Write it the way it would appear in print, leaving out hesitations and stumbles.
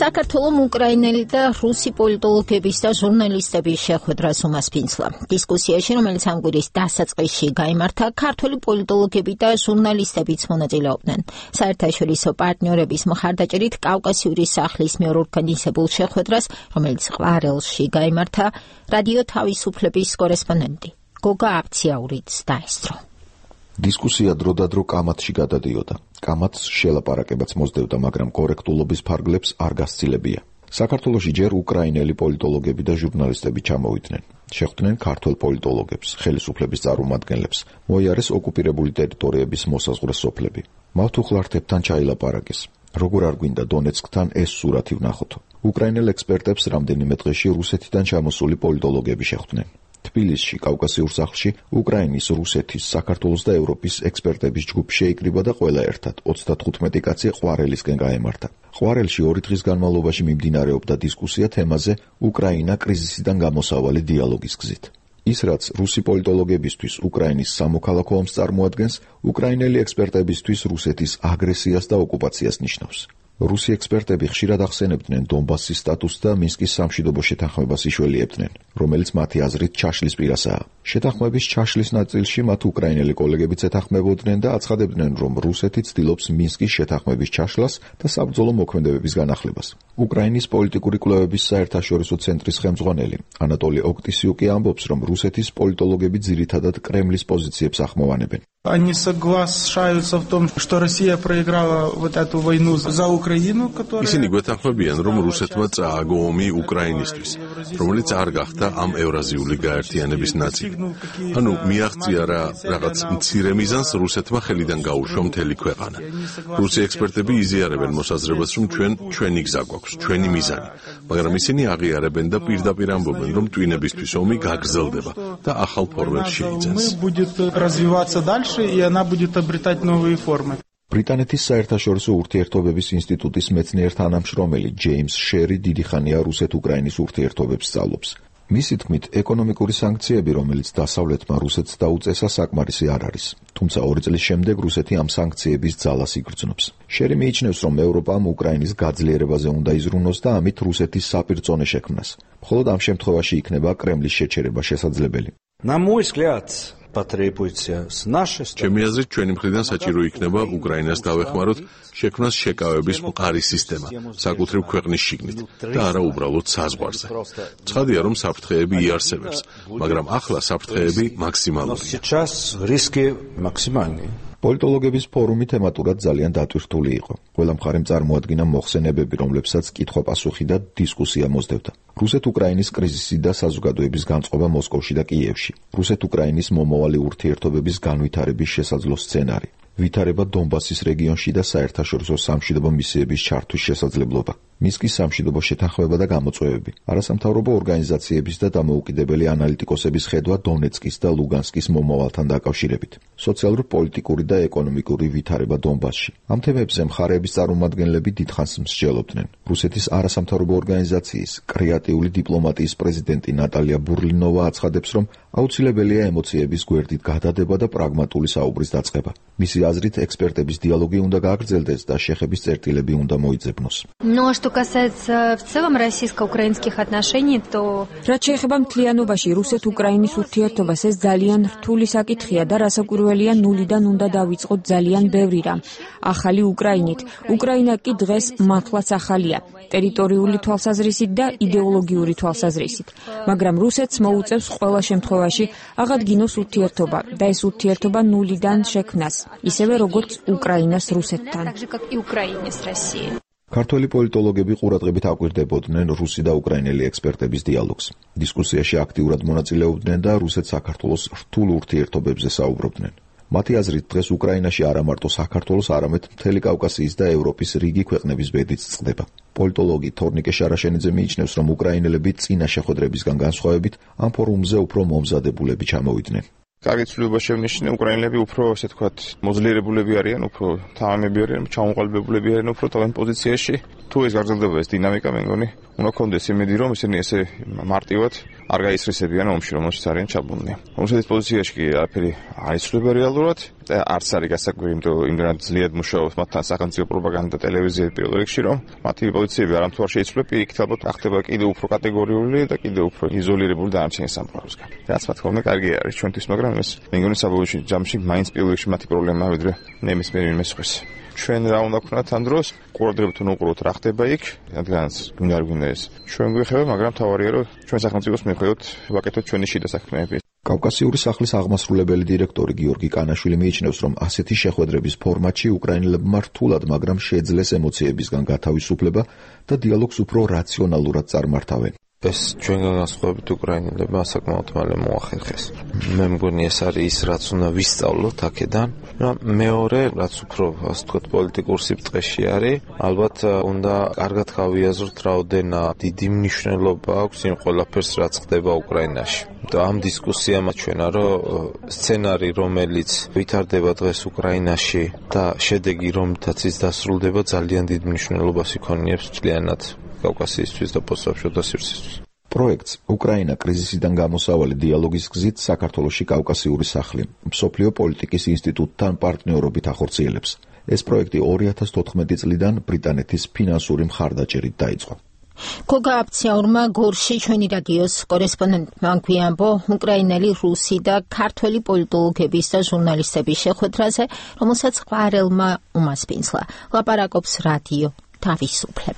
საქართველოს უკრაინელი და რუსი პოლიტოლოგების და ჟურნალისტების შეხვედრას უმასპინძლა. დისკუსიაში, რომელიც ამ კვირის დასაწყისში გაიმართა, ქართველი პოლიტოლოგები და ჟურნალისტებიც მონაწილეობდნენ. საერთაშორისო პარტნიორების მხარდაჭერით კავკასიური სახლის მიერ ორგანიზებულ შეხვედრას, რომელიც ყვარელში გაიმართა, რადიო თავისუფლების კორესპონდენტი გოგა აბციაურიც დაესწრო. დისკუსია დროდადრო კამათში გადადიოდა. კამათს შელაპარაკებაც მოსდევდა, მაგრამ კორექტულობის ფარგლებს არ გასცილებია. საქართველოში ჯერ უკრაინელი პოლიტოლოგები და ჟურნალისტები ჩამოვიდნენ. შეხვდნენ ქართველ პოლიტოლოგებს, ხელისუფლების წარმომადგენლებს, მოიარეს ოკუპირებული ტერიტორიების მოსაზღვრე სოფლები. მავთუხლართებთან ჩაილაპარაკეს. როგორ არ გვინდა დონეცკთან ეს სურათი ვნახოთ. უკრაინელ ექსპერტებს რამდენიმე დღეში რუსეთიდან ჩამოსული პოლიტოლოგები შეხვდნენ. თბილისში, კავკასიურ სახლში, უკრაინის, რუსეთის, საქართველოს და ევროპის ექსპერტების ჯგუფი შეიკრიბა და ყველა ერთად 35 კაცი ყვარელისკენ გაემართა. ყვარელში 2 დღის განმავლობაში მიმდინარეობდა დისკუსია თემაზე უკრაინა კრიზისიდან გამოსავალი დიალოგის გზით. ის, რაც რუსი პოლიტოლოგებისთვის უკრაინის სამოქალაქო ომს წარმოადგენს, უკრაინელი ექსპერტებისთვის რუსეთის აგრესიას და ოკუპაციას ნიშნავს. რუსი ექსპერტები ხშირად ახსენებდნენ დონბასის სტატუსს და მინსკის სამშვიდობო შეთანხმებას იშველიებდნენ, რომელიც მათი აზრით ჩაშლის პირასაა. შეთანხმების ჩაშლის ნაწილში მათ უკრაინელი კოლეგებიც ეთანხმებოდნენ და აცხადებდნენ, რომ რუსეთი ცდილობს მინსკის შეთანხმების ჩაშლას და საბრძოლო მოქმედებების განახლებას. უკრაინის პოლიტიკური კვლევების საერთაშორისო ცენტრის ხელმძღვანელი ანატოლი ოქტისიუკი ამბობს, რომ რუსეთის პოლიტოლოგები ძირითადად კრემლის პოზიციებს ახმოვანებენ. Они соглашаются в том, что Россия проиграла вот эту войну за Украину, которая... ისინი გვეთანხმებიან, რომ რუსეთმა წააგო ომი უკრაინისთვის, რომელიც არ გახდა ამ ევრაზიული გაერთიანების ნაწილი. ანუ მიაღწია რაღაც მცირე მიზანს რუსეთმა ხელიდან გაუშვა მთელი ქვეყანა. რუსი ექსპერტები იზიარებენ მოსაზრებას, რომ ჩვენი გზა გვაქვს, ჩვენი მიზანი, მაგრამ ისინი აღიარებენ და პირდაპირ ამბობენ, რომ ტვინებისთვის ომი გაგრძელდება და ახალ ფორმებს შეიძენს. и она будет обретать новые формы. ბრიტანეთის საერთაშორისო ურთიერთობების ინსტიტუტის მეცნიერ თანამშრომელი ჯეიმს შერი დიდი ხანია რუსეთ-უკრაინის ურთიერთობებს სწავლობს. მისი თქმით, ეკონომიკური სანქციები, რომელიც დასავლეთმა რუსეთს დაუწესა, საკმარისი არ არის. თუმცა 2 წლის შემდეგ რუსეთი ამ სანქციების ძალას იგრძნობს. შერი მიიჩნევს, რომ ევროპამ უკრაინის გაძლიერებაზე უნდა იზრუნოს და ამით რუსეთის საპირწონე შექმნას. მხოლოდ ამ შემთხვევაში იქნება კრემლის შეჩერება შესაძლებელი. На мой взгляд, потребуется с нашей стороны. ჩემი აზრით, ჩვენი მხრიდან საჭირო იქნება უკრაინას დავეხმაროთ შექმნას შეკავების მყარი სისტემა, საკუთრივ ქვეყნის შიგნით და არა უბრალოდ საზღვარზე. ცხადია, რომ საფრთხეები იარსებებს, მაგრამ ახლა საფრთხეები მაქსიმალურია. Сейчас риски максимальные. პოლიტოლოგების ფორუმი თემატურად ძალიან დატვირთული იყო. ყველა მხარემ წარმოადგინა მოხსენებები, რომლებსაც კითხვა-პასუხი და დისკუსია მოსდევდა. რუსეთ-უკრაინის კრიზისი და საზოგადოების განწყობა მოსკოვში და კიევში. რუსეთ-უკრაინის მომავალი ურთიერთობების განვითარების შესაძლო სცენარი. ვითარება დონბასის რეგიონში და საერთაშორისო სამშვიდობო მისიების ჩართვის შესაძლებლობა. მინსკის სამშვიდობო შეთანხმება და გამოწვევები. არასამთავრობო ორგანიზაციების და დამოუკიდებელი ანალიტიკოსების ხედვა დონეცკის და ლუგანსკის მომავალთან დაკავშირებით. სოციალურ-პოლიტიკური და ეკონომიკური ვითარება დონბასში. ამ თემებზე მხარეების წარმომადგენლები დიდხანს მსჯელობდნენ. რუსეთის არასამთავრობო ორგანიზაციის კრეატიული დიპლომატიის პრეზიდენტი ნატალია ბურლინოვა აცხადებს, რომ აუცილებელია ემოციების გვერდით გადადება და პრაგმატული საუბრის დაწყება. მისი აზრით, ექსპერტების დიალოგი უნდა გააგრძელდეს და შეხების წერტილები უნდა მოიძებნოს. Но что касается в целом российско-украинских отношений, то რაც შეეხება მთლიანობაში რუსეთ-უკრაინის ურთიერთობას, ეს ძალიან რთული საკითხია და რასაკვირველია, ნულიდან უნდა დავიწყოთ ძალიან ბევრი რამ. ახალი უკრაინით. უკრაინა კი დღეს მართლაც ახალია, ტერიტორიული თვალსაზრისით და იდეოლოგიური თვალსაზრისით. მაგრამ რუსეთს მოუწევს ყველა შემთხვევაში აღადგინოს ურთიერთობა და ეს ურთიერთობა ნულიდან შექმნას, ისევე როგორც უკრაინას რუსეთთან. ქართველი პოლიტოლოგები ყურადღებით აკვირდებოდნენ რუსი და უკრაინელი ექსპერტების დიალოგს. დისკუსიაში აქტიურად მონაწილეობდნენ და რუსეთ-საქართველოს რთულ ურთიერთობებზე საუბრობდნენ. მათი აზრით, დღეს უკრაინაში არა მარტო საქართველოს, არამედ მთელი კავკასიის და ევროპის რიგი ქვეყნების ბედიც წყდება. პოლიტოლოგი თორნიკე შარაშენიძე მიიჩნევს, რომ უკრაინელები წინა შეხვედრებისგან განსხვავებით ამ ფორუმზე უფრო მომზადებულები ჩამოვიდნენ. კარგი ცვლილება შევნიშნე, უკრაინელები უფრო, ესე ვთქვათ, მოძლიერებულები არიან, უფრო თამამები არიან, ჩამოყალიბებულები არიან უფრო თავენ პოზიციაში. თუ ეს გაგრძელდება ეს დინამიკა, მე მგონი, უნდა გქონდეს იმედი, რომ ისინი ესე მარტივად არ გაისრისებიან ომში, რომელშიც არიან ჩაბმულნი. რუსეთის პოზიციაში კი არაფერი არ იცვლება რეალურად და არც არის გასაკვირი, იმიტომ რომ იმდენად ძლიერ მუშაობს მათთან სახელმწიფო პროპაგანდა და ტელევიზია პირველ რიგში, რომ მათი პოზიციები არამთუ არ შეიცვლება, იქით ალბათ ახდება კიდევ უფრო კატეგორიული და კიდევ უფრო იზოლირებული დანარჩენი სამყაროსგან. რაც მათ ხოლმე კარგი არის ჩვენთვის, მაგრამ ეს მე მგონი საბოლოო ჯამში მაინც პირველ რიგში მათი პრობლემაა, ვიდრე ნებისმიერ ვინმე სხვის. ჩვენ რა უნდა ვქნათ ამ დროს, ყურადღებით უნდა უყუროთ რა ხდება იქ, რადგანაც გვინდა არ გვინდა ეს. ჩვენ გვეხება, მაგრამ თავარია რომ ჩვენ სახელმწიფოს მიხვდეთ ვაკეთოთ ჩვენი შიდა საქმეები. კავკასიური სახლის აღმასრულებელი დირექტორი გიორგი კანაშვილი მიიჩნევს, რომ ასეთი შეხვედრების ფორმატში უკრაინელებმა რთულად, მაგრამ შეძლეს ემოციებისგან გათავისუფლება და დიალოგს უფრო რაციონალურად წარმართავენ. ეს ჩვენგან განსხვავებით უკრაინელებმა საკმაოდ მალე მოახერხეს. მე მგონი ეს არის ის, რაც უნდა ვისწავლოთ აქედან. მეორე, რაც უფრო, ასე ვთქვათ, პოლიტიკურ სიბრტყეში არის, ალბათ უნდა კარგად გავიაზროთ, რაოდენა დიდი მნიშვნელობა აქვს იმ ყველაფერს, რაც ხდება უკრაინაში. და ამ დისკუსიამ აჩვენა, რომ სცენარი, რომელიც ვითარდება დღეს უკრაინაში და შედეგი, რომლითაც ის დასრულდება, ძალიან დიდ მნიშვნელობას იქონიებს მთლიანად კავკასიისთვის და პოსტსაბჭოთასირსისთვის. პროექტს უკრაინა კრიზისიდან გამოსავალი დიალოგის გზით საქართველოში კავკასიური სახლი მსოფლიო პოლიტიკის ინსტიტუტთან პარტნიორობით ახორციელებს. ეს პროექტი 2014 წლიდან ბრიტანეთის ფინანსური მხარდაჭერით დაიწყო. გოგა აფციაურმა გორში ჩვენი რადიოს კორესპონდენტმა გვიამბო უკრაინელი, რუსი და ქართველი პოლიტოლოგების და ჟურნალისტების შეხვედრაზე, რომელსაც ყვარელმა უმასპინძლა. ლაპარაკობს რადიო თავისუფლება.